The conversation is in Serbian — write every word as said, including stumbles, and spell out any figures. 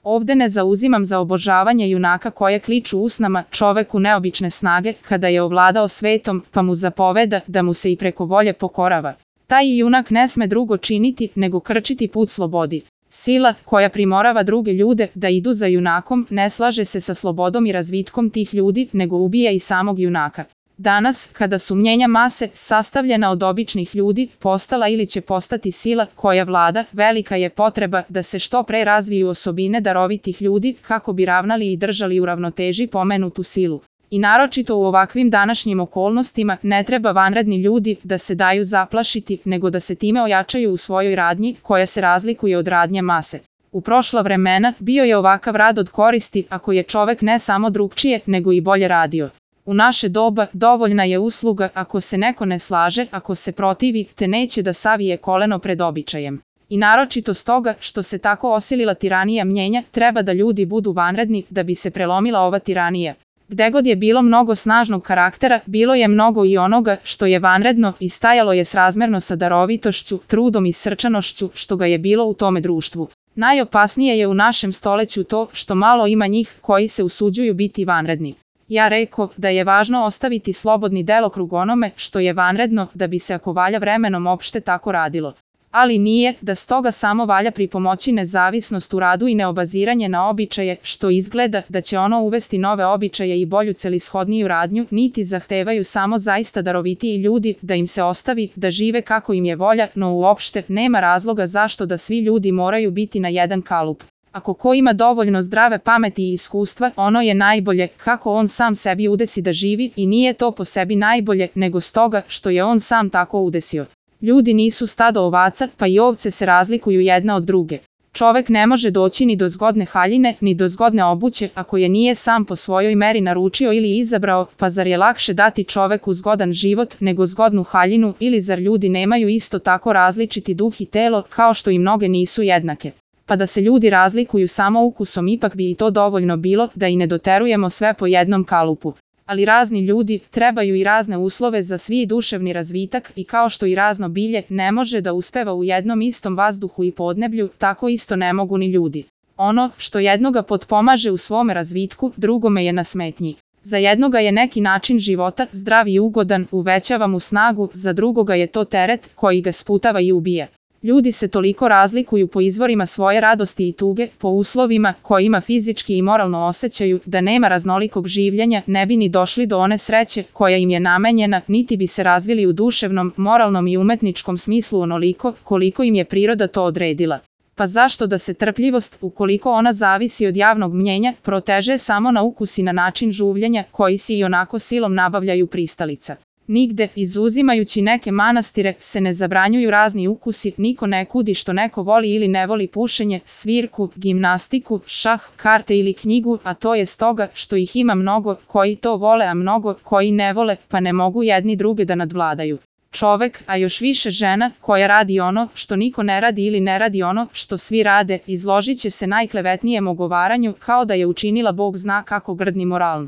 Ovde ne zauzimam za obožavanje junaka koje kliču usnama čoveku neobične snage kada je ovladao svetom, pa mu zapoveda da mu se i preko volje pokorava. Taj junak ne sme drugo činiti nego krčiti put slobodi. Sila koja primorava druge ljude da idu za junakom ne slaže se sa slobodom i razvitkom tih ljudi, nego ubija i samog junaka. Danas, kada su mnjenja mase, sastavljena od običnih ljudi, postala ili će postati sila koja vlada, velika je potreba da se što pre razviju osobine darovitih ljudi kako bi ravnali i držali u ravnoteži pomenutu silu. I naročito u ovakvim današnjim okolnostima ne treba vanredni ljudi da se daju zaplašiti, nego da se time ojačaju u svojoj radnji koja se razlikuje od radnje mase. U prošla vremena bio je ovakav rad od koristi ako je čovek ne samo drugčije, nego i bolje radio. U naše doba dovoljna je usluga ako se neko ne slaže, ako se protivi, te neće da savije koleno pred običajem. I naročito stoga što se tako osilila tiranija mnjenja, treba da ljudi budu vanredni da bi se prelomila ova tiranija. Gde god je bilo mnogo snažnog karaktera, bilo je mnogo i onoga što je vanredno i stajalo je srazmerno sa darovitošću, trudom i srčanošću što ga je bilo u tome društvu. Najopasnije je u našem stoleću to što malo ima njih koji se usuđuju biti vanredni. Ja reko da je važno ostaviti slobodni delokrug onome što je vanredno da bi se ako valja vremenom opšte tako radilo. Ali nije da stoga samo valja pripomoći nezavisnost u radu i neobaziranje na običaje što izgleda da će ono uvesti nove običaje i bolju celishodniju radnju, niti zahtevaju samo zaista darovitiji ljudi da im se ostavi da žive kako im je volja, no uopšte nema razloga zašto da svi ljudi moraju biti na jedan kalup. Ako ko ima dovoljno zdrave pameti i iskustva, ono je najbolje kako on sam sebi udesi da živi i nije to po sebi najbolje nego stoga što je on sam tako udesio. Ljudi nisu stado ovaca, pa i ovce se razlikuju jedna od druge. Čovek ne može doći ni do zgodne haljine, ni do zgodne obuće ako je nije sam po svojoj meri naručio ili izabrao, pa zar je lakše dati čoveku zgodan život nego zgodnu haljinu ili zar ljudi nemaju isto tako različiti duh i telo kao što i mnoge nisu jednake? Pa da se ljudi razlikuju samo ukusom ipak bi i to dovoljno bilo da i ne doterujemo sve po jednom kalupu. Ali razni ljudi trebaju i razne uslove za svi duševni razvitak i kao što i razno bilje ne može da uspeva u jednom istom vazduhu i podneblju, tako isto ne mogu ni ljudi. Ono što jednoga potpomaže u svome razvitku, drugome je na smetnji. Za jednoga je neki način života zdrav i ugodan, uvećava mu snagu, za drugoga je to teret koji ga sputava i ubija. Ljudi se toliko razlikuju po izvorima svoje radosti i tuge, po uslovima kojima fizički i moralno osjećaju da nema raznolikog življenja, ne bi ni došli do one sreće koja im je namenjena, niti bi se razvili u duševnom, moralnom i umetničkom smislu onoliko koliko im je priroda to odredila. Pa zašto da se trpljivost, ukoliko ona zavisi od javnog mnjenja, proteže samo na ukus i na način žuvljenja koji si i onako silom nabavljaju pristalica? Nigde, izuzimajući neke manastire, se ne zabranjuju razni ukusi, niko ne kudi što neko voli ili ne voli pušenje, svirku, gimnastiku, šah, karte ili knjigu, a to je stoga što ih ima mnogo koji to vole, a mnogo koji ne vole, pa ne mogu jedni druge da nadvladaju. Čovek, a još više žena, koja radi ono što niko ne radi ili ne radi ono što svi rade, izložit će se najklevetnijem ogovaranju kao da je učinila Bog zna kako grdni moralno.